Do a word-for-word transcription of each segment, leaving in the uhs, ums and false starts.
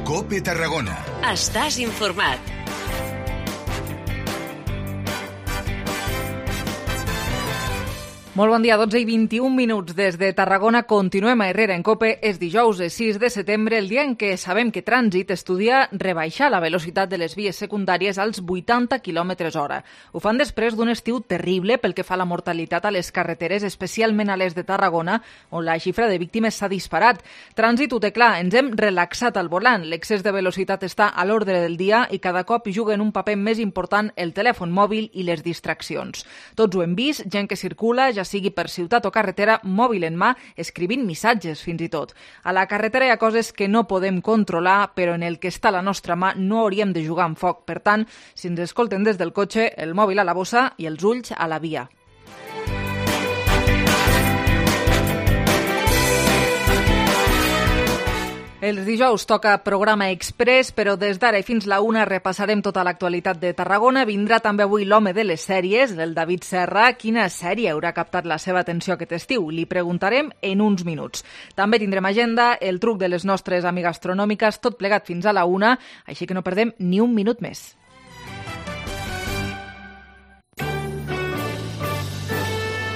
COPE Tarragona. Estàs informat. Molt bon dia, dotze i vint-i-un minuts des de Tarragona. Continuem a Herrera en COPE. És dijous, sis de setembre, el dia en què sabem que Trànsit estudia rebaixar la velocitat de les vies secundàries als vuitanta quilòmetres hora. Ho fan després d'un estiu terrible pel que fa a la mortalitat a les carreteres, especialment a les de Tarragona, on la xifra de víctimes s'ha disparat. Trànsit ho té clar, ens hem relaxat al volant. L'excés de velocitat està a l'ordre del dia i cada cop hi juguen un paper més important el telèfon mòbil i les distraccions. Tots ho hem vist, gent que circula, ja sigui per ciutat o carretera, mòbil en mà, escrivint missatges fins i tot. A la carretera hi ha coses que no podem controlar, però en el que està a la nostra mà no hauríem de jugar amb foc. Per tant, si ens escolten des del cotxe, el mòbil a la bossa i els ulls a la via. Els dijous toca programa express, però des d'ara i fins la una repassarem tota l'actualitat de Tarragona. Vindrà també avui l'home de les sèries, el David Serra. Quina sèrie haurà captat la seva atenció aquest estiu? Li preguntarem en uns minuts. També tindrem agenda, el truc de les nostres amigues astronòmiques, tot plegat fins a la una, així que no perdem ni un minut més.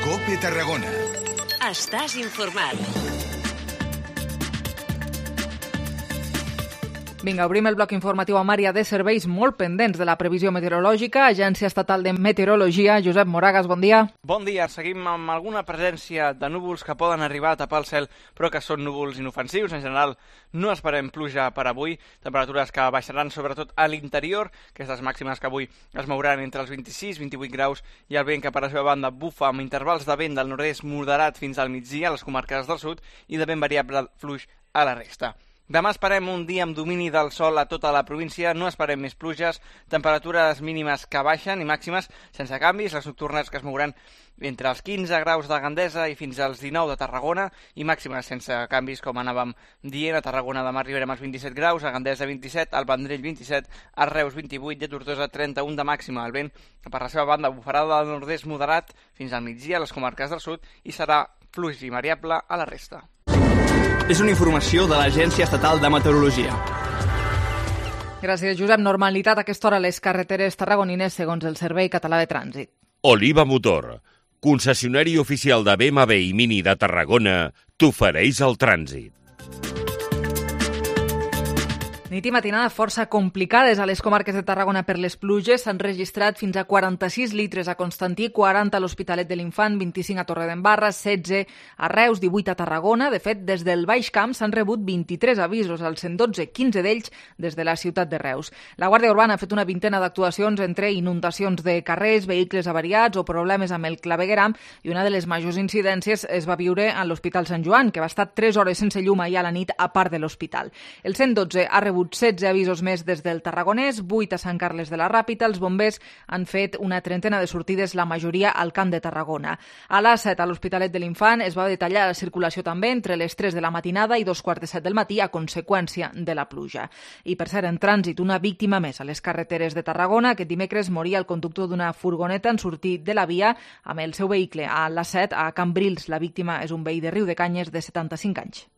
COPE Tarragona. Estàs informat. Vinga, obrim el bloc informatiu amb àrea de serveis molt pendents de la previsió meteorològica. Agència Estatal de Meteorologia, Josep Moragas, bon dia. Bon dia. Seguim amb alguna presència de núvols que poden arribar a tapar el cel, però que són núvols inofensius. En general, no esperem pluja per avui. Temperatures que baixaran sobretot a l'interior. Aquestes màximes que avui es mouran entre els vint-i-sis i vint-i-vuit graus i el vent que per la seva banda bufa amb intervals de vent del nord-est moderat fins al migdia a les comarques del sud i de vent variable fluix a la resta. Demà esperem un dia amb domini del sol a tota la província, no esperem més pluges, temperatures mínimes que baixen i màximes sense canvis, les nocturnes que es mouran entre els quinze graus de Gandesa i fins als dinou de Tarragona i màximes sense canvis, com anàvem dient. A Tarragona demà arribarem als vint-i-set graus, a Gandesa vint-i-set, al Vendrell vint-i-set, a Reus vint-i-vuit i a Tortosa trenta-un de màxima. El vent que per la seva banda bufarà del nord-est moderat fins al migdia a les comarques del sud i serà fluix i variable a la resta. És una informació de l'Agència Estatal de Meteorologia. Gràcies, Josep. Normalitat a aquesta hora a les carreteres tarragonines segons el Servei Català de Trànsit. Oliva Motor, concessionari oficial de B M W i Mini de Tarragona, t'ofereix el trànsit. Nit i matinada força complicades a les comarques de Tarragona per les pluges. S'han registrat fins a quaranta-sis litres a Constantí, quaranta a l'Hospitalet de l'Infant, vint-i-cinc a Torredembarra, setze a Reus, divuit a Tarragona. De fet, des del Baix Camp s'han rebut vint-i-tres avisos al cent dotze, quinze d'ells des de la ciutat de Reus. La Guàrdia Urbana ha fet una vintena d'actuacions entre inundacions de carrers, vehicles avariats o problemes amb el clavegueram, i una de les majors incidències es va viure a l'Hospital Sant Joan, que va estar tres hores sense llum ahir a la nit a part de l'hospital. El cent dotze ha rebut setze avisos més des del Tarragonès, vuit a Sant Carles de la Ràpita. Els bombers han fet una trentena de sortides, la majoria al Camp de Tarragona. A l'A set, a l'Hospitalet de l'Infant, es va detallar la circulació també entre les tres de la matinada i dos quarts de set del matí a conseqüència de la pluja. I per cert, en trànsit, una víctima més a les carreteres de Tarragona. Aquest dimecres moria el conductor d'una furgoneta en sortir de la via amb el seu vehicle a l'A set, a Cambrils. La víctima és un veí de Riu de Canyes de setanta-cinc anys.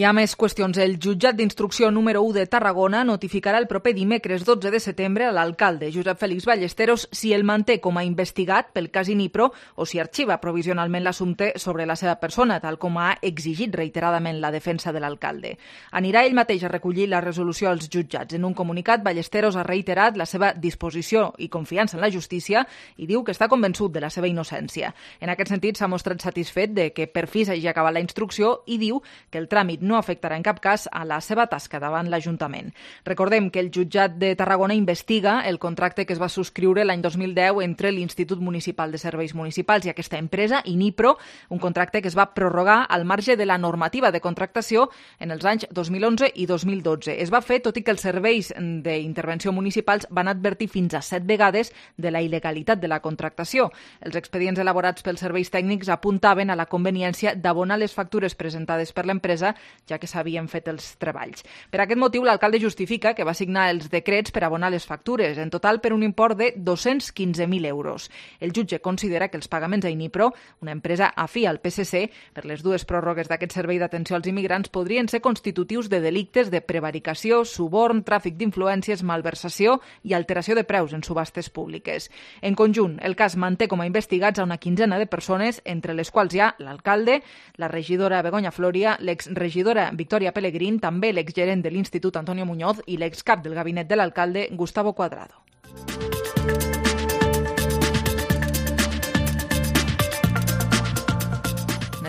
Hi ha més qüestions. El jutjat d'instrucció número u de Tarragona notificarà el proper dimecres dotze de setembre a l'alcalde Josep Félix Ballesteros si el manté com a investigat pel cas Inipro o si arxiva provisionalment l'assumpte sobre la seva persona, tal com ha exigit reiteradament la defensa de l'alcalde. Anirà ell mateix a recollir la resolució als jutjats. En un comunicat, Ballesteros ha reiterat la seva disposició i confiança en la justícia i diu que està convençut de la seva innocència. En aquest sentit, s'ha mostrat satisfet de que per fi s'hagi acabat la instrucció i diu que el tràmit no afectarà en cap cas a la seva tasca davant l'Ajuntament. Recordem que el jutjat de Tarragona investiga el contracte que es va subscriure l'any dos mil deu entre l'Institut Municipal de Serveis Municipals i aquesta empresa, Inipro, un contracte que es va prorrogar al marge de la normativa de contractació en els anys dos mil onze i dos mil dotze. Es va fer tot i que els serveis d'intervenció municipals van advertir fins a set vegades de la il·legalitat de la contractació. Els expedients elaborats pels serveis tècnics apuntaven a la conveniència d'abonar les factures presentades per l'empresa ja que s'havien fet els treballs. Per aquest motiu, l'alcalde justifica que va signar els decrets per abonar les factures, en total per un import de dos-cents quinze mil euros. El jutge considera que els pagaments a Inipro, una empresa afí al P S C, per les dues pròrrogues d'aquest servei d'atenció als immigrants podrien ser constitutius de delictes de prevaricació, suborn, tràfic d'influències, malversació i alteració de preus en subhastes públiques. En conjunt, el cas manté com a investigats a una quinzena de persones, entre les quals hi ha l'alcalde, la regidora Begoña Floria, l'exregidora Victoria Pellegrín, també l'exgerent de l'Institut Antonio Muñoz i l'excap del gabinet de l'alcalde Gustavo Cuadrado.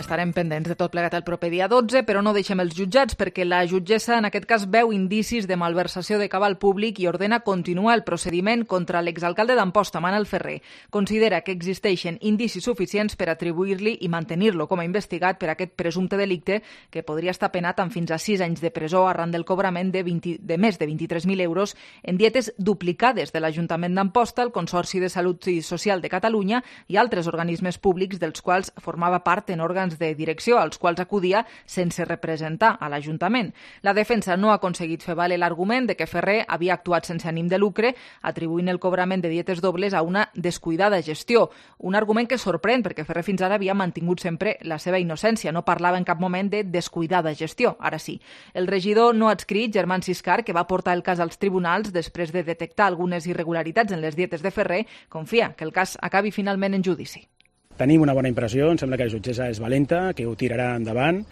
Estarem pendents de tot plegat el proper dia dotze, però no deixem els jutjats perquè la jutgessa en aquest cas veu indicis de malversació de cabal públic i ordena continuar el procediment contra l'exalcalde d'Amposta, Manel Ferrer. Considera que existeixen indicis suficients per atribuir-li i mantenir-lo com a investigat per aquest presumpte delicte que podria estar penat amb fins a sis anys de presó arran del cobrament de, vint, de més de vint-i-tres mil euros en dietes duplicades de l'Ajuntament d'Amposta, el Consorci de Salut i Social de Catalunya i altres organismes públics dels quals formava part en òrgans de direcció als quals acudia sense representar a l'Ajuntament. La defensa no ha aconseguit fer valer l'argument de que Ferrer havia actuat sense ànim de lucre, atribuint el cobrament de dietes dobles a una descuidada gestió. Un argument que sorprèn perquè Ferrer fins ara havia mantingut sempre la seva innocència, no parlava en cap moment de descuidada gestió, ara sí. El regidor no adscrit, Germán Siscar, que va portar el cas als tribunals després de detectar algunes irregularitats en les dietes de Ferrer, confia que el cas acabi finalment en judici. Tenim una bona impressió, em sembla que la jutgessa és valenta, que ho tirarà endavant.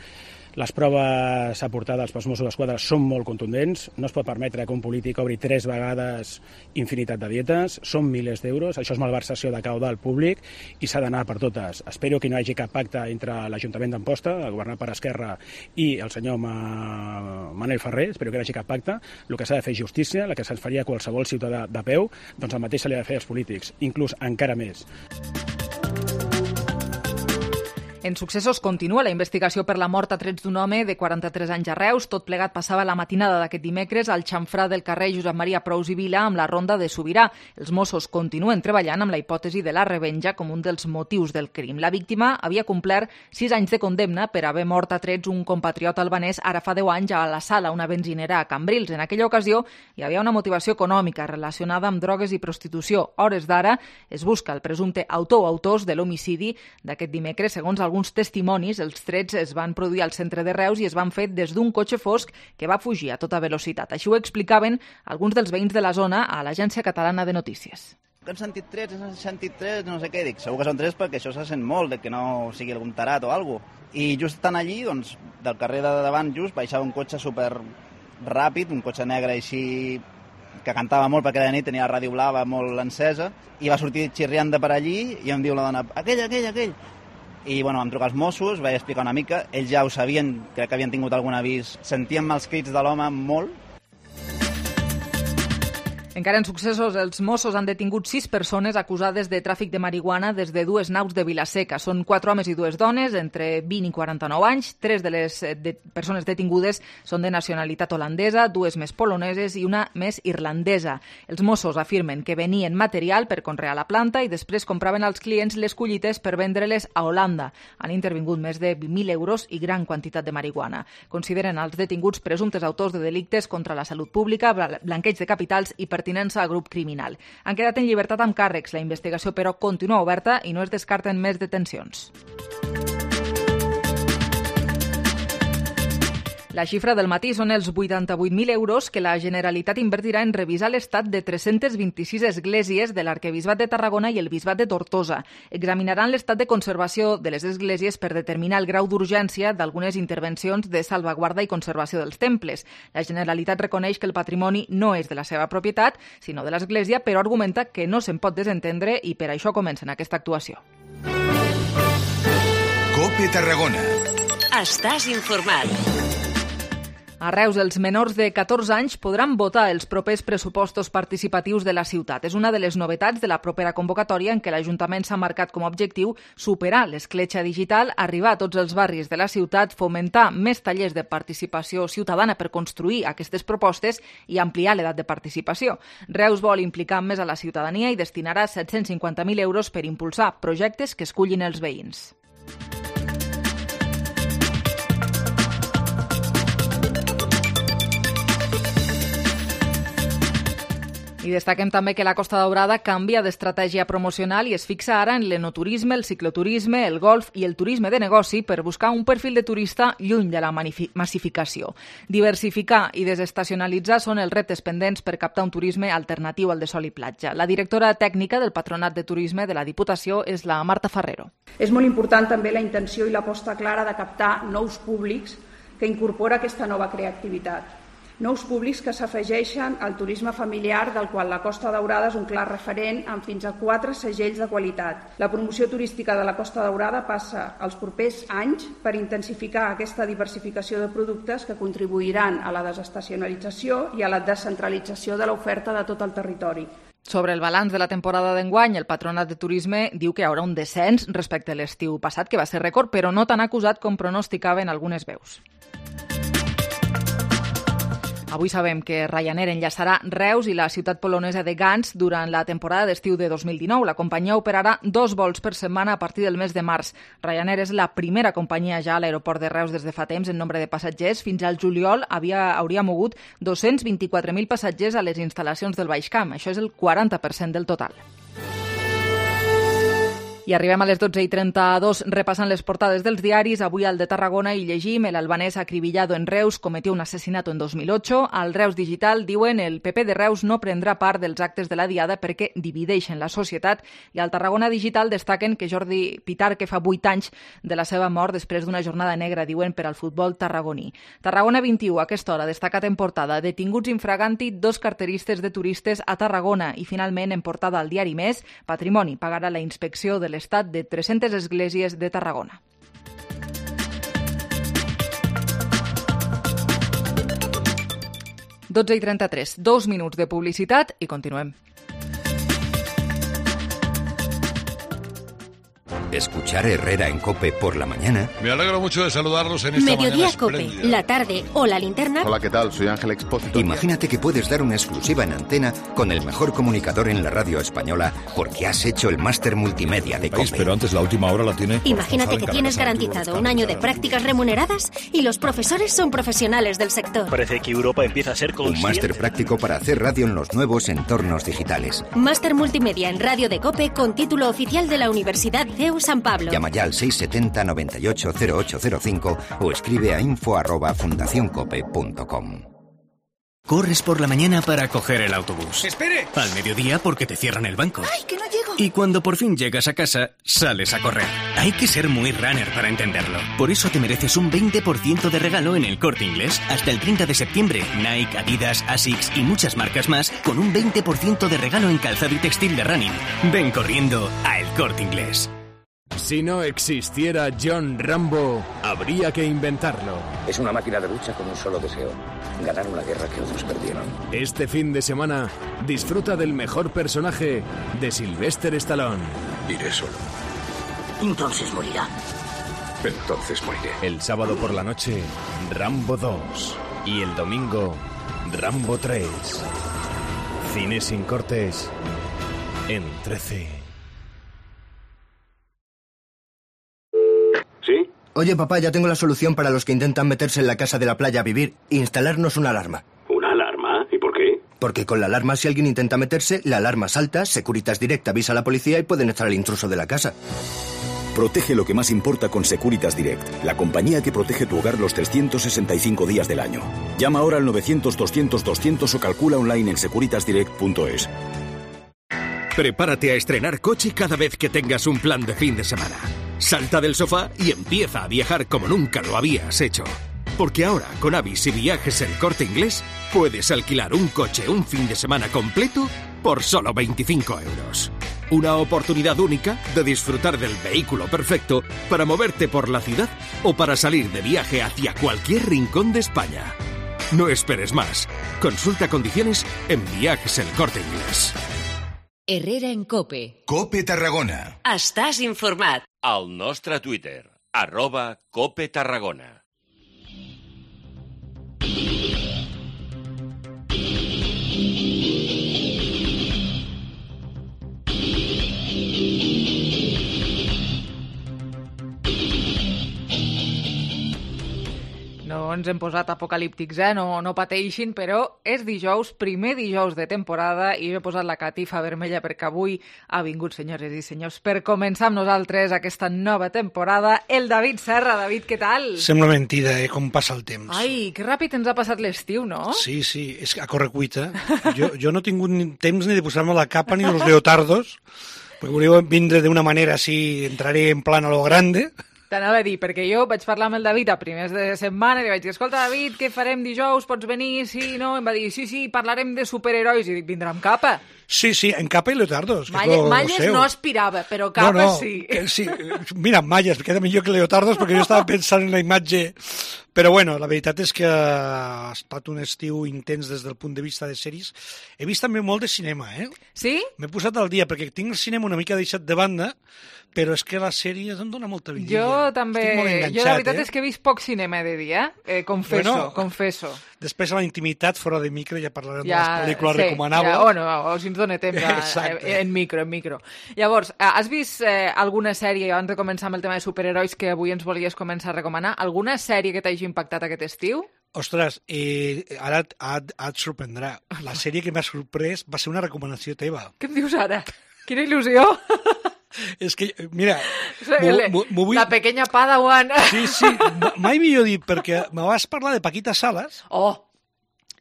Les proves aportades pels Mossos d'Esquadra són molt contundents. No es pot permetre que un polític obri tres vegades infinitat de dietes. Són milers d'euros, això és malversació de caudal públic i s'ha d'anar per totes. Espero que no hi hagi cap pacte entre l'Ajuntament d'Amposta, governat per Esquerra, i el senyor Manel Ferrer. Espero que no hi hagi cap pacte. El que s'ha de fer és justícia, la que se'ns faria a qualsevol ciutadà de peu, doncs el mateix se li ha de fer als polítics, inclús encara més. En successos continua la investigació per la mort a trets d'un home de quaranta-tres anys a Reus. Tot plegat passava la matinada d'aquest dimecres al xamfrà del carrer Josep Maria Prous i Vila amb la ronda de Sobirà. Els Mossos continuen treballant amb la hipòtesi de la revenja com un dels motius del crim. La víctima havia complert sis anys de condemna per haver mort a trets un compatriot albanès ara fa deu anys a la Sala, una benzinera a Cambrils. En aquella ocasió hi havia una motivació econòmica relacionada amb drogues i prostitució. Hores d'ara es busca el presumpte autor o autors de l'homicidi d'aquest dimecres. Segons alguns testimonis, els trets es van produir al centre de Reus i es van fer des d'un cotxe fosc que va fugir a tota velocitat. Així ho explicaven alguns dels veïns de la zona a l'Agència Catalana de Notícies. Que han sentit trets, han sentit trets, no sé què, dic, segur que són trets perquè això se sent molt, de que no sigui algun tarat o alguna cosa. I just estant allí, doncs, del carrer de davant just, baixava un cotxe super ràpid, un cotxe negre així que cantava molt perquè de nit tenia la ràdio blava molt encesa, i va sortir xirriant de per allí i em diu la dona, aquell, aquell, aquell. I bueno, vam trucar als Mossos, vaig explicar una mica, ells ja ho sabien, crec que havien tingut algun avís, sentíem els crits de l'home molt. Encara en successos, els Mossos han detingut sis persones acusades de tràfic de marihuana des de dues naus de Vilaseca. Són quatre homes i dues dones, entre vint i quaranta-nou anys. Tres de les de persones detingudes són de nacionalitat holandesa, dues més poloneses i una més irlandesa. Els Mossos afirmen que venien material per conrear la planta i després compraven als clients les collites per vendre-les a Holanda. Han intervingut més de vint mil euros i gran quantitat de marihuana. Consideren els detinguts presumptes autors de delictes contra la salut pública, blanqueig de capitals i pertinença al grup criminal. Han quedat en llibertat amb càrrecs. La investigació, però, continua oberta i no es descarten més detencions. La xifra del matí són els vuitanta-vuit mil euros que la Generalitat invertirà en revisar l'estat de tres-centes vint-i-sis esglésies de l'Arquebisbat de Tarragona i el Bisbat de Tortosa. Examinaran l'estat de conservació de les esglésies per determinar el grau d'urgència d'algunes intervencions de salvaguarda i conservació dels temples. La Generalitat reconeix que el patrimoni no és de la seva propietat, sinó de l'Església, però argumenta que no se'n pot desentendre i per això comencen aquesta actuació. COPE Tarragona. Estàs informat. A Reus, els menors de catorze anys podran votar els propers pressupostos participatius de la ciutat. És una de les novetats de la propera convocatòria en què l'Ajuntament s'ha marcat com a objectiu superar l'escletxa digital, arribar a tots els barris de la ciutat, fomentar més tallers de participació ciutadana per construir aquestes propostes i ampliar l'edat de participació. Reus vol implicar més a la ciutadania i destinarà set-cents cinquanta mil euros per impulsar projectes que escullin els veïns. I destaquem també que la Costa Daurada canvia d'estratègia promocional i es fixa ara en l'enoturisme, el cicloturisme, el golf i el turisme de negoci per buscar un perfil de turista lluny de la massificació. Diversificar i desestacionalitzar són els reptes pendents per captar un turisme alternatiu al de sol i platja. La directora tècnica del Patronat de Turisme de la Diputació és la Marta Ferrero. És molt important també la intenció i l'aposta clara de captar nous públics que incorpora aquesta nova creativitat. Nous públics que s'afegeixen al turisme familiar, del qual la Costa Daurada és un clar referent amb fins a quatre segells de qualitat. La promoció turística de la Costa Daurada passa als propers anys per intensificar aquesta diversificació de productes que contribuiran a la desestacionalització i a la descentralització de l'oferta de tot el territori. Sobre el balanç de la temporada d'enguany, el Patronat de Turisme diu que hi haurà un descens respecte a l'estiu passat, que va ser rècord, però no tan acusat com pronosticaven algunes veus. Avui sabem que Ryanair enllaçarà Reus i la ciutat polonesa de Gdansk durant la temporada d'estiu de dos mil dinou. La companyia operarà dos vols per setmana a partir del mes de març. Ryanair és la primera companyia ja a l'aeroport de Reus des de fa temps en nombre de passatgers. Fins al juliol havia, hauria mogut dos-cents vint-i-quatre mil passatgers a les instal·lacions del Baix Camp. Això és el quaranta per cent del total. I arribem a les dotze i trenta-dos repassant les portades dels diaris. Avui al de Tarragona hi llegim: el albanès acribillado en Reus cometió un asesinato en dos mil ocho. Al Reus Digital diuen el P P de Reus no prendrà part dels actes de la Diada perquè divideixen la societat. I al Tarragona Digital destaquen que Jordi Pitar, que fa vuit anys de la seva mort després d'una jornada negra, diuen, per al futbol tarragoní. Tarragona vint-i-u, a aquesta hora, destacat en portada: detinguts infraganti dos carteristes de turistes a Tarragona. I finalment, en portada al diari Més, Patrimoni pagarà la inspecció de l'estat de tres-centes esglésies de Tarragona. dotze i trenta-tres, dos minuts de publicitat i continuem. Escuchar Herrera en COPE por la mañana. Me alegro mucho de saludarlos en esta Mediodía mañana COPE, espléndida. la tarde o la linterna. Hola, ¿qué tal? Soy Ángel Expósito. Imagínate que puedes dar una exclusiva en antena con el mejor comunicador en la radio española porque has hecho el máster multimedia de COPE. Pero antes la última hora la tiene. Imagínate que tienes garantizado un año de prácticas remuneradas y los profesores son profesionales del sector. Parece que Europa empieza a ser consciente. Un máster práctico para hacer radio en los nuevos entornos digitales. Máster multimedia en radio de COPE con título oficial de la Universidad C E U San Pablo. Llama ya al seis setenta noventa y ocho cero ocho cero cinco o escribe a info arroba fundacioncope punto com. Corres por la mañana para coger el autobús. ¡Espere! Al mediodía porque te cierran el banco. ¡Ay, que no llego! Y cuando por fin llegas a casa, sales a correr. Hay que ser muy runner para entenderlo. Por eso te mereces un veinte por ciento de regalo en el Corte Inglés. Hasta el treinta de septiembre, Nike, Adidas, Asics y muchas marcas más con un veinte por ciento de regalo en calzado y textil de running. Ven corriendo a El Corte Inglés. Si no existiera John Rambo, habría que inventarlo. Es una máquina de lucha con un solo deseo: ganar una guerra que otros perdieron. Este fin de semana, disfruta del mejor personaje de Sylvester Stallone. Iré solo. Entonces morirá. Entonces moriré. El sábado por la noche, Rambo dos. Y el domingo, Rambo tres. Cine sin cortes en trece. Oye, papá, ya tengo la solución para los que intentan meterse en la casa de la playa a vivir: instalarnos una alarma. ¿Una alarma? ¿Y por qué? Porque con la alarma, si alguien intenta meterse, la alarma salta, Securitas Direct avisa a la policía y pueden echar al intruso de la casa. Protege lo que más importa con Securitas Direct, la compañía que protege tu hogar los trescientos sesenta y cinco días del año. Llama ahora al novecientos doscientos doscientos o calcula online en securitas direct punto es. Prepárate a estrenar coche cada vez que tengas un plan de fin de semana. Salta del sofá y empieza a viajar como nunca lo habías hecho. Porque ahora, con Avis y Viajes El Corte Inglés, puedes alquilar un coche un fin de semana completo por solo veinticinco euros. Una oportunidad única de disfrutar del vehículo perfecto para moverte por la ciudad o para salir de viaje hacia cualquier rincón de España. No esperes más. Consulta condiciones en Viajes El Corte Inglés. Herrera en COPE. COPE Tarragona. Estàs informat. Al nostre Twitter, arroba COPE Tarragona. No ens hem posat apocalíptics, eh? No, no pateixin, però és dijous, primer dijous de temporada, i he posat la catifa vermella perquè avui ha vingut, senyores i senyors, per començar amb nosaltres aquesta nova temporada, el David Serra. David, què tal? Sembla mentida, eh, com passa el temps. Ai, que ràpid ens ha passat l'estiu, no? Sí, sí, és a correcuita. Jo, jo no he tingut ni temps ni de posar-me la capa ni los leotardos, perquè volíeu vindre d'una manera així, entraré en plan a lo grande. T'anava a dir, perquè jo vaig parlar amb el David a primers de setmana i li vaig dir, escolta, David, què farem dijous? Pots venir? Sí, no? Em va dir, sí, sí, parlarem de superherois. I dic, vindrà amb capa? Sí, sí, en capa i leotardos. Malles, malles no aspirava, però capa no, no, sí. Que sí. Mira, malles, queda millor que leotardos, perquè jo estava pensant en la imatge. Però bueno, la veritat és que ha estat un estiu intens des del punt de vista de sèries. He vist també molt de cinema, eh? Sí? M'he posat al dia, perquè tinc el cinema una mica deixat de banda, però és que les sèries em dona molta vidilla. Jo també, jo la veritat eh? és que he vist poc cinema de dia, eh, confesso, bueno, confesso. Després a la intimitat, fora de micro, ja parlarem ja, de les pel·lícules sí, recomanables. Ja, o no, o si ens dona temps a, en micro, en micro. Llavors, has vist eh, alguna sèrie, abans de començar amb el tema de superherois, que avui ens volies començar a recomanar? Alguna sèrie que t'hagi impactat aquest estiu? Ostres, eh, ara et, et, et sorprendrà. La sèrie que m'ha sorprès va ser una recomanació teva. Què em dius ara? Quina il·lusió! És que, mira... Vull... La pequeña Padawan. Sí, sí, mai millor dit, perquè me vas parlar de Paquita Salas oh.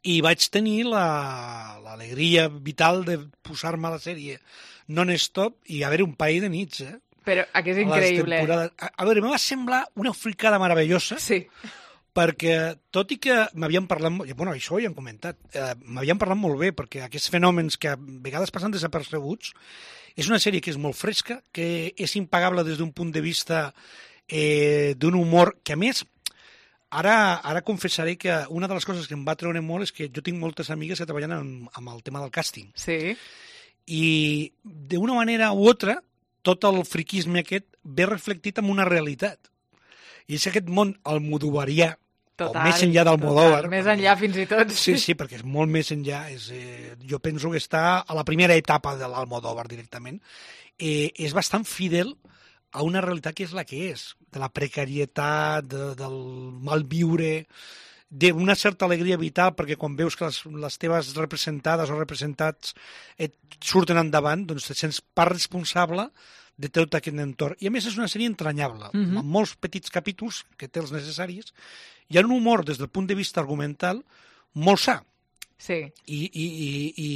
i vaig tenir l'alegria la, vital de posar-me a la sèrie non-stop i haver un parell de nits, eh? Però que és increïble. A, a veure, me va semblar una fricada meravellosa. Sí. Perquè, tot i que m'havien parlat... Bueno, això ho he comentat. Eh, m'havien parlat molt bé, perquè aquests fenòmens que a vegades passen desapercebuts, és una sèrie que és molt fresca, que és impagable des d'un punt de vista eh, d'un humor que, a més, ara, ara confessaré que una de les coses que em va treure molt és que jo tinc moltes amigues que treballen amb, amb el tema del càsting. Sí. I d'una manera u altra, tot el friquisme aquest ve reflectit en una realitat. I és aquest món almodovarià, total, o més enllà d'Almodóvar. Més enllà fins i tot. Sí, sí, perquè és molt més enllà. És, eh, jo penso que està a la primera etapa de l'Almodóvar directament. Eh, és bastant fidel a una realitat que és la que és, de la precarietat, de, del malviure, d'una certa alegria vital, perquè quan veus que les, les teves representades o representats et surten endavant, doncs te sents part responsable de tot aquest entorn. I a més és una sèrie entranyable, mm-hmm. amb molts petits capítols que té els necessaris. Hi ha un humor des del punt de vista argumental molt sa. Sí. I, i, i, i,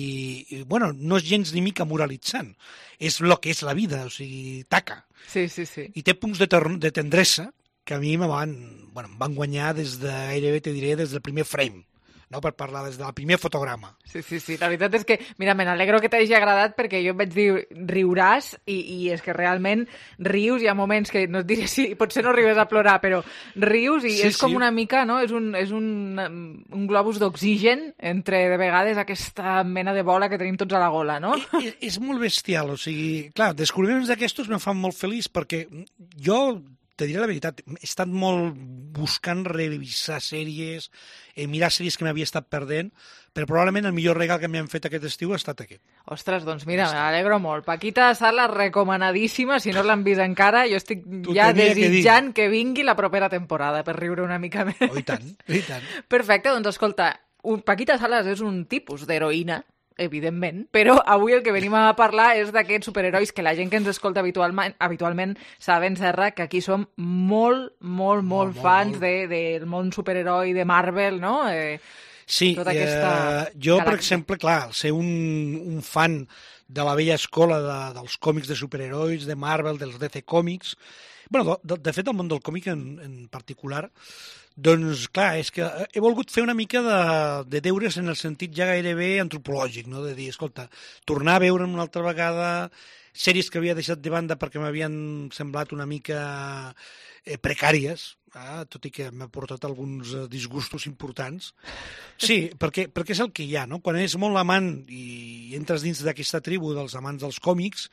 i bueno, no és gens ni mica moralitzant. És el que és la vida, o sigui, taca. Sí, sí, sí. I té punts de, de tendresa que a mi me van, bueno, em van guanyar des de, gairebé te diré, des del primer frame. No, per parlar des del primer fotograma. Sí, sí, sí. La veritat és que, mira, me n'alegro que t'hagi agradat perquè jo em vaig dir, riuràs, i, i és que realment rius, hi ha moments que, no et diré si potser no arribes a plorar, però rius i sí, és com sí. una mica, no? És un, és un, un globus d'oxigen entre, de vegades, aquesta mena de bola que tenim tots a la gola, no? És, és molt bestial, o sigui, clar, descobriments d'aquestos me fan molt feliç perquè jo... Te diré la veritat, he estat molt buscant revisar sèries, eh, mirar sèries que m'havia estat perdent, però probablement el millor regal que m'han fet aquest estiu ha estat aquest. Ostres, doncs mira, m'alegro molt. Paquita Salas, recomanadíssima, si no l'han vist encara, jo estic tu ja desitjant que, que vingui la propera temporada per riure una mica més. Oh, i tant, i tant. Perfecte, doncs escolta, Paquita Salas és un tipus d'heroïna, evidentment, però avui el que venim a parlar és d'aquests superherois que la gent que ens escolta habitualment, habitualment saben, Serra, que aquí som molt, molt, molt, molt fans molt. De, del món superheroi de Marvel, no? Eh, sí, tota aquesta eh, jo, galàxia. Per exemple, clar, ser un, un fan de la vella escola de, dels còmics de superherois, de Marvel, dels D C Comics, bueno, de, de fet, el món del còmic en, en particular, doncs, clar, és que he volgut fer una mica de, de deures en el sentit ja gairebé antropològic, no? De dir, escolta, tornar a veure una altra vegada sèries que havia deixat de banda perquè m'havien semblat una mica eh, precàries, eh? Tot i que m'ha portat alguns disgustos importants. Sí, perquè, perquè és el que hi ha, no? Quan és molt amant i entres dins d'aquesta tribu dels amants dels còmics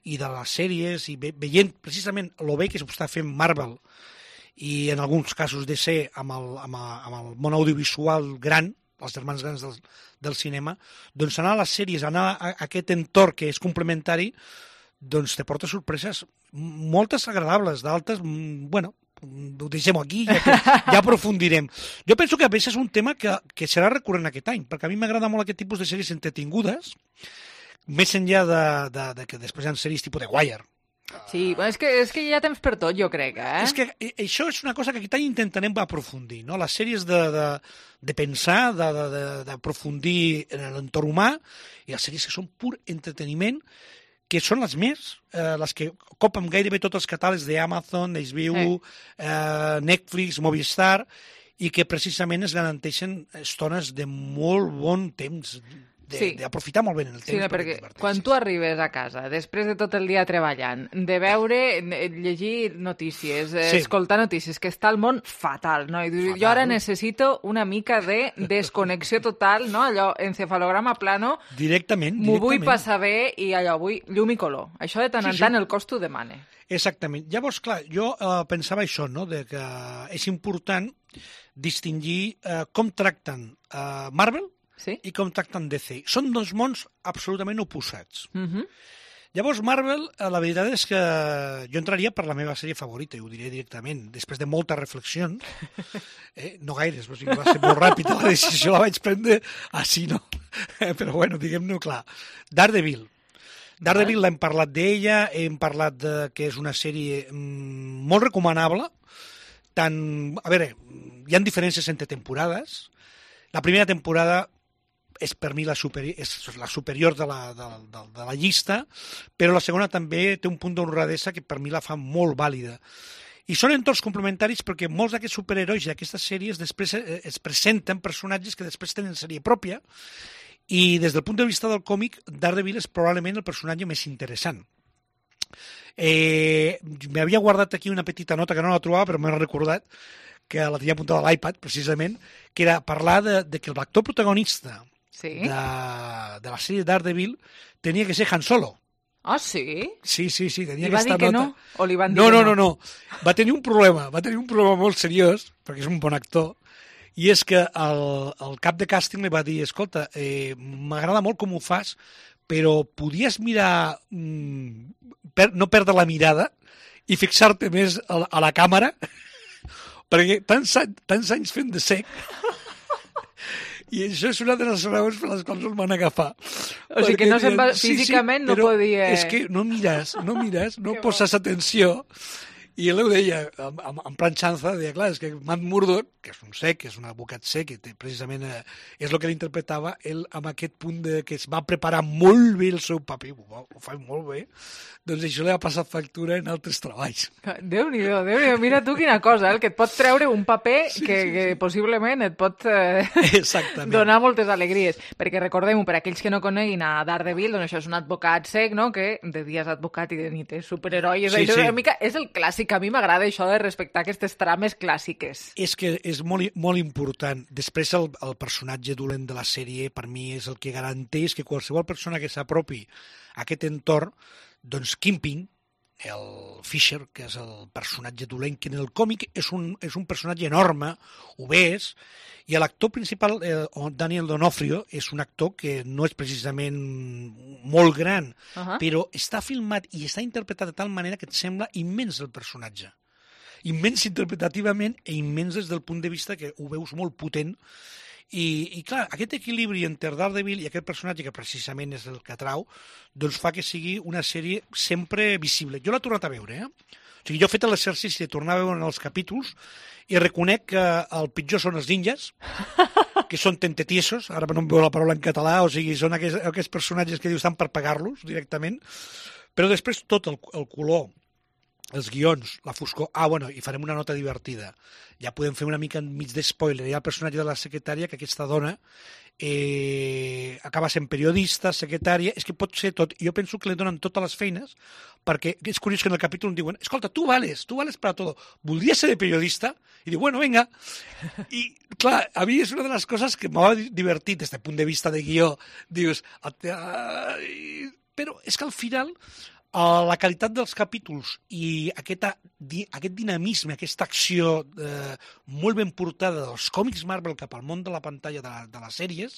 i de les sèries i ve, veient precisament el bé que s'està fent Marvel i en alguns casos de ser amb el, amb, el, amb el món audiovisual gran, els germans grans del, del cinema, doncs anar a les sèries, anar a, a aquest entorn que és complementari, doncs te porta sorpreses moltes agradables, d'altres, bueno, ho deixem aquí, ja, que, ja aprofundirem. Jo penso que a més és un tema que, que serà recurrent aquest any, perquè a mi m'agrada molt aquest tipus de sèries entretingudes, més enllà de, de, de que després hi ha sèries tipus de Wire. Sí, és que, és que hi ha temps per tot, jo crec, eh? És que això és una cosa que aquest any intentarem aprofundir, no? Les sèries de, de, de pensar, d'aprofundir en l'entorn humà, i les sèries que són pur entreteniment, que són les més, eh, les que copen gairebé tots els catàlegs d'Amazon, H B O, eh, Netflix, Movistar, i que precisament es garanteixen estones de molt bon temps, d'aprofitar sí. molt bé en el temps. Sí, perquè quan tu arribes a casa, després de tot el dia treballant, de veure, llegir notícies, sí. escoltar notícies, que està el món fatal, no? I fatal. Jo ara necessito una mica de desconnexió total, no? Allò, encefalograma plano. Directament, M'ho vull passar bé i allò, vull llum i color. Això de tant sí, en tant sí. el cos t'ho demana. Exactament. Llavors, clar, jo eh, pensava això, no?, de que és important distingir eh, com tracten eh, Marvel sí? i com tracten D C. Són dos mons absolutament oposats. Uh -huh. Llavors, Marvel, la veritat és que jo entraria per la meva sèrie favorita, i ho diré directament, després de moltes reflexions, eh, no gaires, o sigui, va ser molt ràpida la decisió, la vaig prendre així, no? Però bueno, diguem-ne clar. Daredevil. Daredevil l'hem parlat d'ella, hem parlat de que és una sèrie mm, molt recomanable, tant, a veure, hi ha diferències entre temporades. La primera temporada és per mi la, superi és la superior de la, de, de, de la llista, però la segona també té un punt d'honradesa que per mi la fa molt vàlida. I són entorns complementaris perquè molts d'aquests superherois i d'aquestes sèries després es presenten personatges que després tenen sèrie pròpia, i des del punt de vista del còmic, Daredevil és probablement el personatge més interessant. Eh, M'havia guardat aquí una petita nota que no la trobava, però m'he recordat, que la tenia apuntada a l'iPad, precisament, que era parlar de, de que l'actor protagonista sí? de, de la sèrie Daredevil tenia que ser Han Solo. Ah, sí? Sí, sí, sí, tenia I va aquesta dir que nota. no? O li van dir no, que no, no? no, no. Va tenir un problema, va tenir un problema molt seriós, perquè és un bon actor, i és que el, el cap de càsting li va dir, escolta, eh, m'agrada molt com ho fas, però podies mirar, mm, per, no perdre la mirada i fixar-te més a la, a la càmera, perquè tants, tants anys fent de sec, i això és una de les raons per les quals el van agafar. O sigui que no se'n va, físicament sí, sí, no podia... És que no mires, no mires, no poses atenció. I ell ho deia, amb, amb, amb planxanza, deia, clar, és que Matt Murdock, que és un sec, que és un advocat sec, que té, precisament eh, és el que l'interpretava, ell amb aquest punt de que es va preparar molt bé el seu paper, ho, ho fa molt bé, doncs això li ha passat factura en altres treballs. Déu-n'hi-do, Déu-n'hi-do, mira tu quina cosa, eh? Que et pot treure un paper sí, que, sí, sí. que possiblement et pot eh, donar moltes alegries. Perquè recordem-ho, per aquells que no coneguin a Daredevil, doncs això és un advocat sec, no?, que de dia és advocat i de nit és superheroi. Sí, això, sí. Una mica, és el clàssic, a mi m'agrada això de respectar aquestes trames clàssiques. És que és molt, molt important. Després el, el personatge dolent de la sèrie per mi és el que garanteix que qualsevol persona que s'apropi a aquest entorn, doncs Kingpin, el Fisher, que és el personatge dolent, que en el còmic és un, és un personatge enorme, obès, i l'actor principal, eh, Daniel D'Onofrio, és un actor que no és precisament molt gran, uh -huh. però està filmat i està interpretat de tal manera que et sembla immens el personatge. Immens interpretativament i immens des del punt de vista que ho veus molt potent. I, i clar, aquest equilibri entre Daredevil i aquest personatge, que precisament és el que atrau, doncs fa que sigui una sèrie sempre visible. Jo l'he tornat a veure, eh? O sigui, jo he fet l'exercici de tornar a veure els capítols i reconec que el pitjor són els ninjas, que són tentetiesos, ara no em veu la paraula en català, o sigui, són aquests, aquests personatges que dius estan per pagar-los directament, però després tot el, el color, els guions, la foscor... Ah, bueno, i farem una nota divertida. Ja podem fer una mica enmig d'espoiler. Hi ha el personatge de la secretària, que aquesta dona eh, acaba sent periodista, secretària... És que pot ser tot. Jo penso que li donen totes les feines, perquè és curiós que en el capítol em diuen escolta, tu vales, tu vales para todo. Voldries ser de periodista? I diu, bueno, venga. I, clar, a mi és una de les coses que m'ha divertit des del punt de vista de guió. Dius... Però és que al final... la qualitat dels capítols i aquesta, aquest dinamisme, aquesta acció eh, molt ben portada dels còmics Marvel cap al món de la pantalla de, la, de les sèries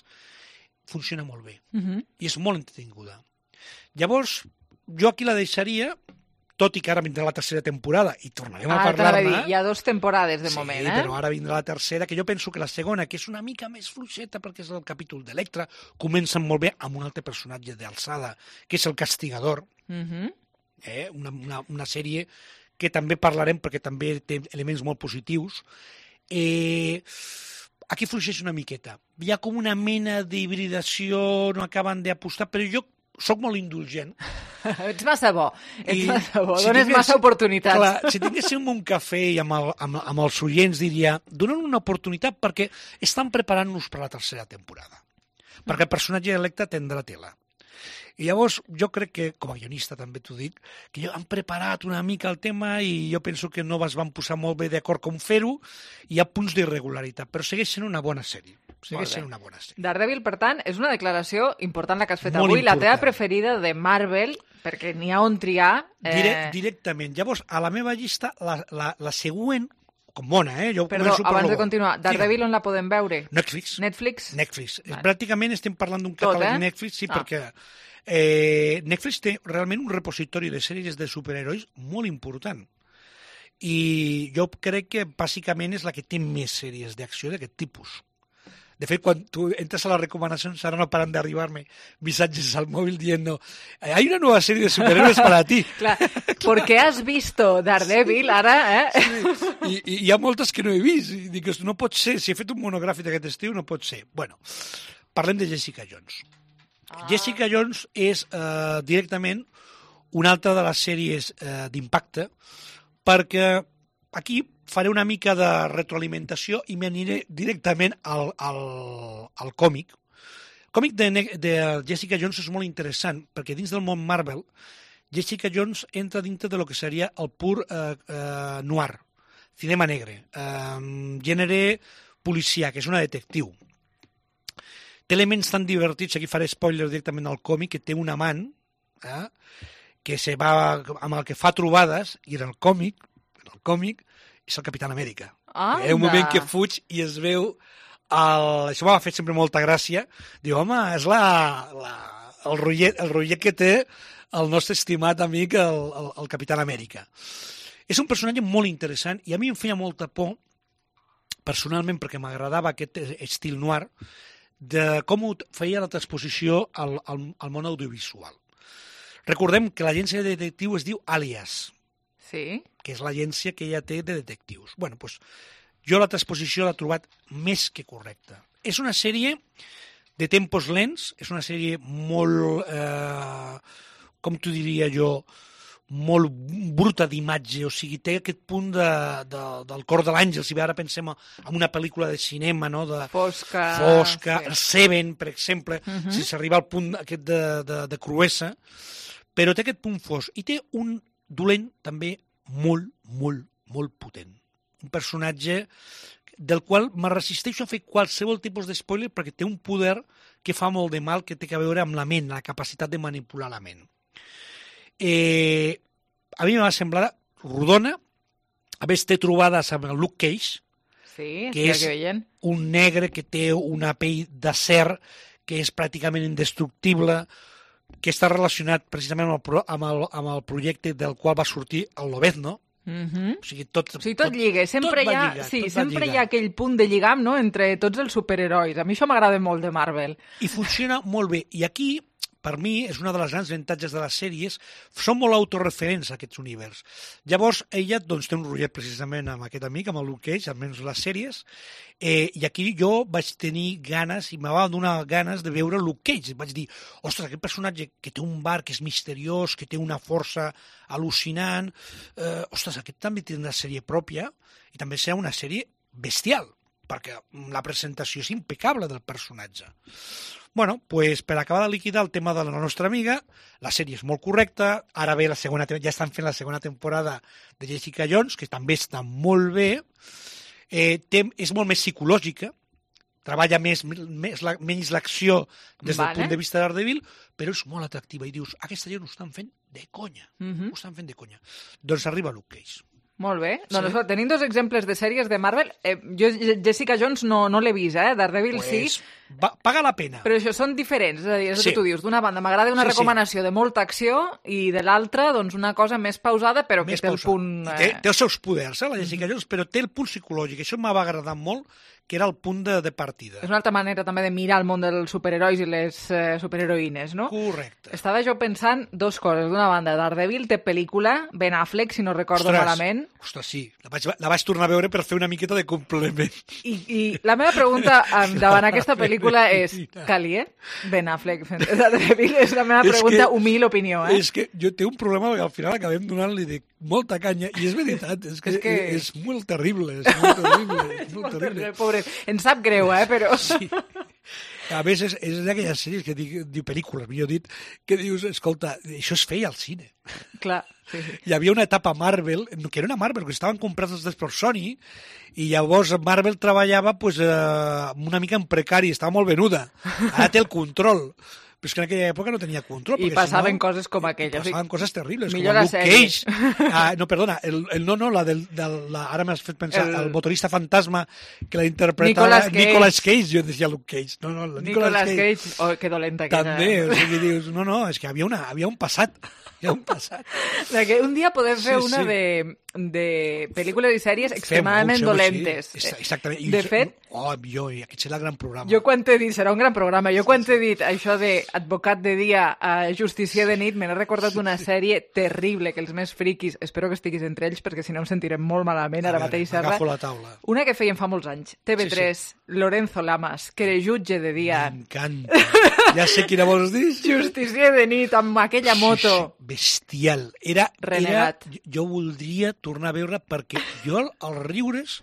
funciona molt bé. Uh-huh. I és molt entretinguda. Llavors, jo aquí la deixaria tot i que ara vindrà la tercera temporada i tornarem ah, a parlar-ne. Hi ha dues temporades de sí, moment, eh? Sí, però ara vindrà la tercera, que jo penso que la segona, que és una mica més fluixeta perquè és el capítol d'Electra, comença molt bé amb un altre personatge d'alçada, que és el Castigador, uh-huh. eh? una, una, una sèrie que també parlarem perquè també té elements molt positius. Eh, aquí fluixeix una miqueta. Hi ha com una mena d'hibridació, no acaben d'apostar, però jo soc molt indulgent. Ets massa bo, ets I massa bo, si dones tingués, massa oportunitats. Clar, si tinguéssim un cafè i amb, el, amb, amb els oients diria, donen una oportunitat perquè estan preparant-nos per la tercera temporada. Perquè el personatge d'Electra tindrà tela. I llavors jo crec que, com a guionista també t'ho dic, que han preparat una mica el tema i jo penso que no es van posar molt bé d'acord com fer-ho, hi ha punts d'irregularitat, però segueix sent una bona sèrie. Segueix sent una bona sèrie. Daredevil, per tant, és una declaració important la que has fet molt avui, important. La teva preferida de Marvel, perquè n'hi ha on triar. Eh... Direct, directament. Llavors, a la meva llista, la, la, la següent, com bona, eh? Jo Perdó, per abans lo de bo. continuar, Daredevil on la podem veure? Netflix. Netflix? Netflix. Vale. Pràcticament estem parlant d'un Tot, catàleg eh? Netflix, sí, Ah. perquè eh, Netflix té realment un repositori de sèries de superherois molt important. I jo crec que bàsicament és la que té més sèries d'acció d'aquest tipus. De fet, quan tu entres a les recomanacions, ara no paran d'arribar-me missatges al mòbil dient hay una nueva serie de superhéroes para ti. Clar, perquè has visto Daredevil, ara, eh? Sí. I, I hi ha moltes que no he vist. I dic, no pot ser, si he fet un monogràfic aquest estiu, no pot ser. Bueno, parlem de Jessica Jones. Ah. Jessica Jones és eh, directament una altra de les sèries eh, d'impacte, perquè aquí faré una mica de retroalimentació i m'aniré directament al, al, al còmic. El còmic de, de Jessica Jones és molt interessant, perquè dins del món Marvel, Jessica Jones entra dintre de lo que seria el pur eh, eh, noir, cinema negre, eh, gènere policia, que és una detectiu. Té elements tan divertits, aquí faré spoiler directament al còmic, que té un amant, eh, que se va, amb el que fa trobades, i en el còmic, en el còmic, és el Capitán Amèrica. Hi ha un moment que fuig i es veu... El... Això m'ha fet sempre molta gràcia. Diu, home, és la, la, el, rotllet, el rotllet que té el nostre estimat amic, el, el, el Capitán Amèrica. És un personatge molt interessant i a mi em feia molta por, personalment, perquè m'agradava aquest estil noir, de com ho feia la transposició al, al, al món audiovisual. Recordem que l'agència de detectiu es diu Alias, sí, que és l'agència que ella té de detectius. Bueno, doncs, jo la transposició l'he trobat més que correcta. És una sèrie de tempos lents, és una sèrie molt, eh, com t'ho diria jo, molt bruta d'imatge, o sigui, té aquest punt de, de, del cor de l'àngel, si bé ara pensem en una pel·lícula de cinema, no? De fosca, fosca sí. Seven, per exemple, uh -huh. si s'arriba al punt aquest de, de, de cruesa, però té aquest punt fosc, i té un dolent també molt, molt, molt potent. Un personatge del qual me resisteixo a fer qualsevol tipus de spoiler perquè té un poder que fa molt de mal, que té a veure amb la ment, la capacitat de manipular la ment. Eh, a mi m'ha semblat rodona, a més té trobades amb el Luke Cage, sí, que és que un negre que té una pell d'acer, que és pràcticament indestructible, que està relacionat precisament amb el, amb el, amb el projecte del qual va sortir el Lobezno. Uh-huh. O sigui, tot, o sigui, tot, tot lliga. Sempre, tot hi ha, lligar, sí, tot sempre hi ha aquell punt de lligam, no?, entre tots els superherois. A mi això m'agrada molt de Marvel. I funciona molt bé. I aquí, per mi, és una de les grans avantatges de les sèries, són molt autorreferents aquests univers. Llavors, ella doncs, té un rotllet precisament amb aquest amic, amb el Luke Cage, almenys les sèries, eh, i aquí jo vaig tenir ganes, i me va donar ganes de veure Luke Cage. Vaig dir, ostres, aquest personatge que té un bar que és misteriós, que té una força al·lucinant, eh, ostres, aquest també té una sèrie pròpia, i també serà una sèrie bestial, perquè la presentació és impecable del personatge. Bueno, pues, per acabar de liquidar el tema de la nostra amiga, la sèrie és molt correcta, ara ve la segona, ja estan fent la segona temporada de Jessica Jones, que també està molt bé, eh, té, és molt més psicològica, treballa més, més la, menys l'acció des del vale. punt de vista de Daredevil, però és molt atractiva, i dius, aquesta gent ho estan fent de conya, uh-huh. ho estan fent de conya. Doncs arriba Luke Cage. Molt bé. Sí. Doncs tenim dos exemples de sèries de Marvel. Eh, jo Jessica Jones no, no l'he vist, eh? Daredevil pues, sí. Va, paga la pena. Però això són diferents. És a dir, és sí. el que tu dius. D'una banda m'agrada una sí, recomanació sí. de molta acció i de l'altra doncs una cosa més pausada però més que té pausada. El punt... Eh... Té, té els seus poders, eh, la Jessica mm-hmm. Jones, però té el punt psicològic. Això m'ha agradat molt, que era el punt de, de partida. És una altra manera també de mirar el món dels superherois i les eh, superheroïnes, no? Correcte. Estava jo pensant dos coses. D'una banda, Daredevil té pel·lícula, Ben Affleck, si no recordo ostres, malament. Ostres, sí. La vaig, la vaig tornar a veure per fer una miqueta de complement. I, i la meva pregunta davant aquesta pel·lícula és, calia Ben Affleck fent Daredevil? És la meva pregunta, que, humil opinió, eh? És que jo té un problema perquè al final acabem donant-li de molta canya, i és veritat, és que és, que... és molt terrible, és molt terrible, és molt terrible. Pobre, ens sap greu, eh, però... Sí. A més, és, és d'aquelles sèries que dic, diu pel·lícules, millor dit, que dius, escolta, això es feia al cine. Clar, sí, sí. Hi havia una etapa Marvel, que era una Marvel, que estaven comprats els per Sony, i llavors Marvel treballava pues, eh, una mica en precari, estava molt venuda. Ara té el control. Però és que en aquella època no tenia control. I passaven si no, coses com aquelles. Passaven coses terribles, millor com Luke Cage. Ah, no, perdona, el, el no, no, la del, del la, ara m'has fet pensar, el, el motorista fantasma que la interpretava Nicolas Cage. Nicolas Cage, jo decía Luke Cage. No, no, Nicolas, Nicolas Cage. Cage. Oh, que dolenta que també, era. O sigui, dius, no, no, és que havia, una, havia un passat. Hi ha un passat. Que un dia podem fer sí, una sí. de, de pel·lícules i sèries extremadament fem, dolentes. Sí. Exactament. De fet... Oh, jo, aquest serà el gran programa. Jo quan t'he dit, serà un gran programa, jo quan t'he dit això d'advocat de dia a justicier de nit, me n'he recordat una sèrie terrible, que els més friquis, espero que estiguis entre ells, perquè si no em sentirem molt malament ara mateix. Agafo la taula. Una que feien fa molts anys, T V tres, sí, sí. Lorenzo Lamas, que era jutge de dia. M'encanta. Ja sé quina vols dir. Justicier de nit, amb aquella moto. Sí, sí. Bestial. Era, renegat. Era, jo voldria tornar a veure perquè jo als riures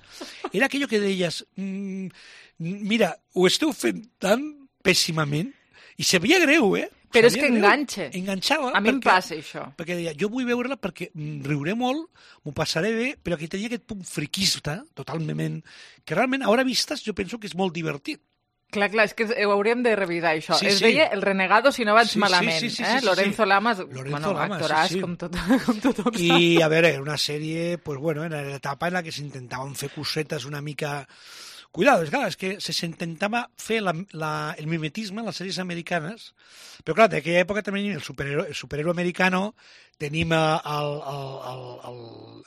era aquello que deies mmm, mira, ho esteu fent tan pèssimament i se veia greu, eh? Però és que enganxa. Enganxava. A mi em passa això. Perquè deia, jo vull veure-la perquè riuré molt, m'ho passaré bé, però que tenia aquest punt friquista, totalment, que realment, a hora vistes, jo penso que és molt divertit. Clar, clar, és que ho hauríem de revisar, això. Sí, es sí. deia El Renegado, si no vaig sí, malament. Sí, sí, sí, eh? sí, sí, Lorenzo sí. Lamas, Lorenzo bueno, Lamas, actoràs sí, sí. com, tot, com tothom I, sap. A veure, una sèrie, pues bueno, era l'etapa en la que s'intentaven fer cosetes una mica... Cuidado, és, clar, és que s'intentava fer la, la, el mimetisme en les sèries americanes, però clar, d'aquella època també tenim el superhéroe, el superhéroe americano, tenim el, el, el, el,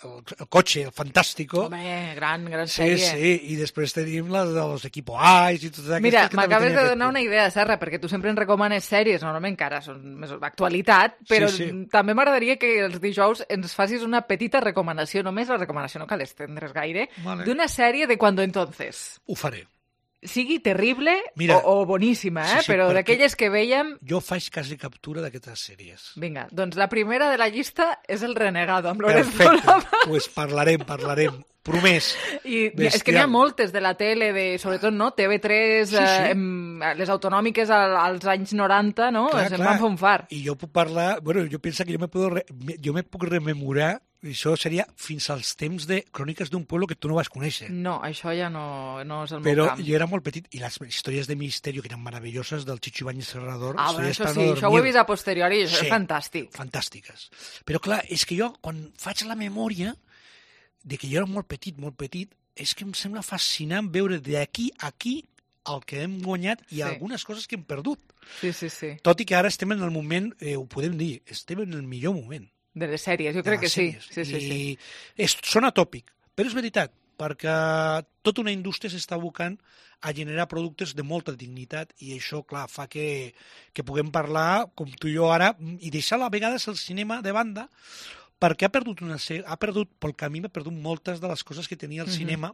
el, el cotxe, el Fantàstico. Home, gran, gran sèrie. Sí, sí, i després tenim les dels Equipo Ais i totes aquestes. Mira, m'acabes de donar una idea, Serra, perquè tu sempre ens recomanes sèries, normalment encara són més actualitat, però sí, sí. també m'agradaria que els dijous ens facis una petita recomanació, només la recomanació, no cal estendre's gaire, vale. D'una sèrie de Cuando Entonces. Ho faré. Sigui terrible Mira, o, o boníssima, eh? Sí, sí, però d'aquelles que veiem... Jo faig quasi captura d'aquestes sèries. Vinga, doncs la primera de la llista és El Renegado, amb Lorenzo Lamas. Perfecte, pues parlarem, parlarem. Promès. I bestial. És que n'hi ha moltes de la tele, de, sobretot, no? T V tres, sí, sí. Eh, les autonòmiques als anys noranta, no? Clar, se'n clar. van fer un far. I jo puc parlar... Bueno, jo penso que jo me, puedo re, jo me puc rememorar, això seria fins als temps de Cròniques d'un pueblo que tu no vas conèixer. No, això ja no, no és el Però meu camp. Però jo era molt petit, i les històries de misteri que eren meravelloses del Chicho Ibáñez Serrador... Ah, bueno, això sí, no això ho he vist a posteriori, això sí, és fantàstic. Fantàstiques. Però clar, és que jo, quan faig la memòria de que jo era molt petit, molt petit, és que em sembla fascinant veure d'aquí a aquí el que hem guanyat i sí. algunes coses que hem perdut. Sí, sí, sí. Tot i que ara estem en el moment, eh, ho podem dir, estem en el millor moment. De les sèries, jo crec que sèries. sí. sí, sí, sí. I és, sona tòpic, però és veritat, perquè tota una indústria s'està abocant a generar productes de molta dignitat i això, clar, fa que, que puguem parlar, com tu i jo ara, i deixar a vegades el cinema de banda, perquè ha perdut, una, ha perdut pel camí, ha perdut moltes de les coses que tenia el mm-hmm. cinema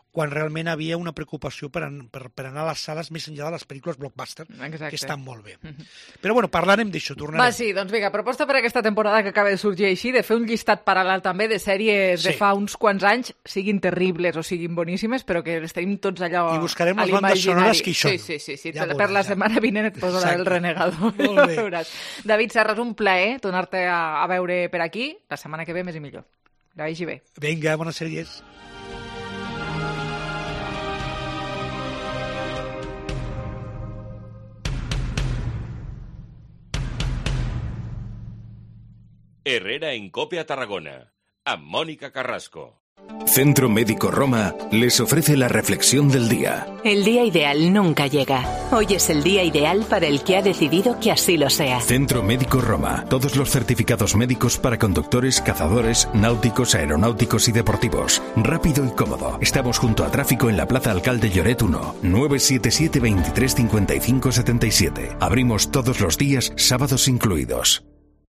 quan realment havia una preocupació per, per, per anar a les sales més enllà de les pel·lícules blockbuster, Exacte. Que estan molt bé. Mm-hmm. Però bueno, parlarem d'això, tornarem. Va, sí, doncs vinga, proposta per aquesta temporada que acaba de sorgir així, de fer un llistat paral·lel també de sèries sí. de fa uns quants anys, siguin terribles o siguin boníssimes, però que les tenim tots allò a l'imaginari. I buscarem les bandes sonores que hi són. Sí, sí, sí, sí. Ja per veuràs, la setmana vinent et poso la del Renegado. Molt bé. David Serra, és un plaer tornar-te a, a veure per aquí. La setmana que ve més i millor. Que vagi bé. Vinga, bones sèries. Herrera en Cope a Tarragona. amb Mónica Carrasco. Centro Médico Roma les ofrece la reflexión del día. El día ideal nunca llega. Hoy es el día ideal para el que ha decidido que así lo sea. Centro Médico Roma. Todos los certificados médicos para conductores, cazadores, náuticos, aeronáuticos y deportivos. Rápido y cómodo. Estamos junto a tráfico en la Plaza Alcalde Lloret uno. nueve siete siete, veintitrés cincuenta y cinco setenta y siete. Abrimos todos los días, sábados incluidos.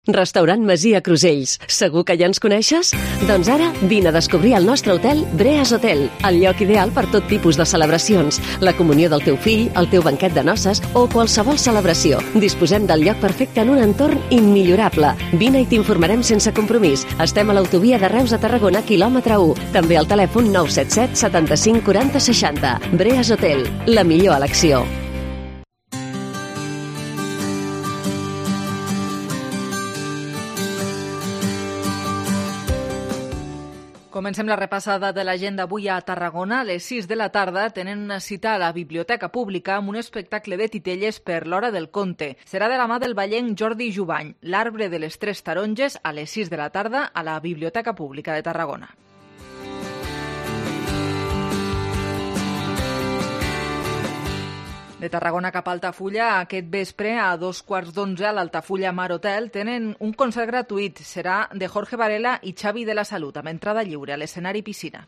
Restaurant Masia Crusells. Segur que ja ens coneixes? Doncs ara vine a descobrir el nostre hotel Breas Hotel, el lloc ideal per tot tipus de celebracions, la comunió del teu fill, el teu banquet de noces o qualsevol celebració. Disposem del lloc perfecte en un entorn immillorable. Vine i t'informarem sense compromís. Estem a l'autovia de Reus a Tarragona, quilòmetre u. També al telèfon nou set set, setanta-cinc, quaranta, seixanta. Breas Hotel, la millor elecció. Comencem la repassada de l'agenda avui a Tarragona. A les sis de la tarda tenen una cita a la Biblioteca Pública amb un espectacle de titelles per l'Hora del Conte. Serà de la mà del vallenc Jordi Jubany. L'arbre de les tres taronges a les sis de la tarda a la Biblioteca Pública de Tarragona. De Tarragona cap a Altafulla, aquest vespre a dos quarts d'onze a l'Altafulla Mar Hotel tenen un concert gratuït. Serà de Jorge Varela i Xavi de la Salut, amb entrada lliure a l'escenari piscina.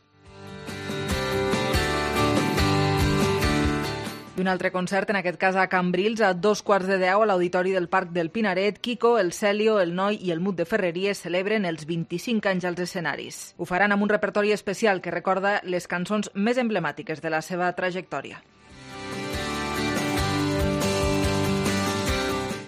I un altre concert, en aquest cas a Cambrils, a dos quarts de deu a l'Auditori del Parc del Pinaret. Kiko, el Celio, el Noi i el Mut de Ferreries celebren els vint-i-cinc anys als escenaris. Ho faran amb un repertori especial que recorda les cançons més emblemàtiques de la seva trajectòria.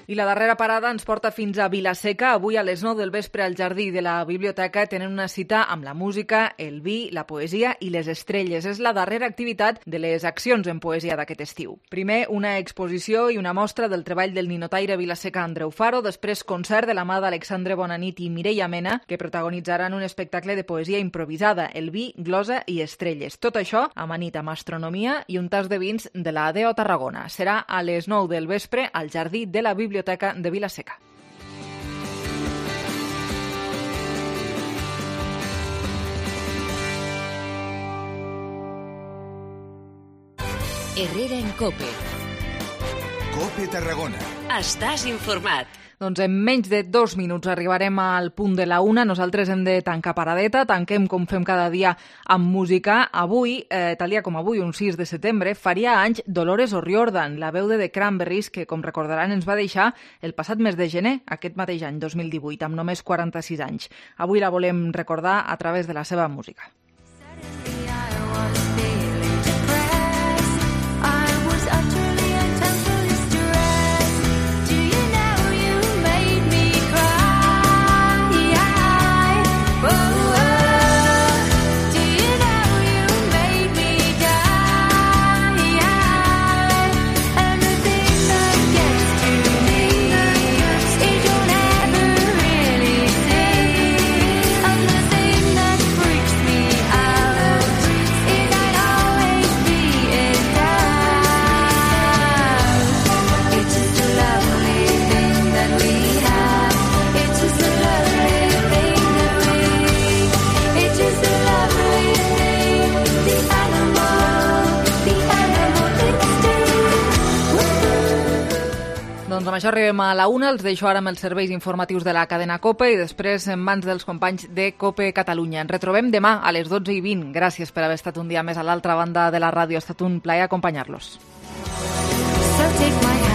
I la darrera parada ens porta fins a Vila-seca. Avui a les nou del vespre al jardí de la biblioteca tenen una cita amb la música, el vi, la poesia i les estrelles. És la darrera activitat de les accions en poesia d'aquest estiu. Primer, una exposició i una mostra del treball del ninotaire vilaseca Andreu Faro, després concert de la mà d'Alexandre Bonanit i Mireia Mena, que protagonitzaran un espectacle de poesia improvisada, el vi, glosa i estrelles. Tot això amanit amb astronomia i un tas de vins de la A D E O Tarragona. Serà a les nou del vespre al jardí de la biblioteca Biblioteca de Vila-seca. Herrera en Cope. Cope Tarragona. Estàs informat. Doncs en menys de dos minuts arribarem al punt de la una. Nosaltres hem de tancar paradeta, tanquem com fem cada dia amb música. Avui, eh, tal dia com avui, un sis de setembre, faria anys Dolores O'Riordan, la veu de The Cranberries, que, com recordaran, ens va deixar el passat mes de gener, aquest mateix any, dos mil divuit, amb només quaranta-sis anys. Avui la volem recordar a través de la seva música. Doncs amb això arribem a la una, els deixo ara amb els serveis informatius de la cadena COPE i després en mans dels companys de COPE Catalunya. Ens retrobem demà a les dotze i vint. Gràcies per haver estat un dia més a l'altra banda de la ràdio. Ha estat un plaer acompanyar-los. So take my hand.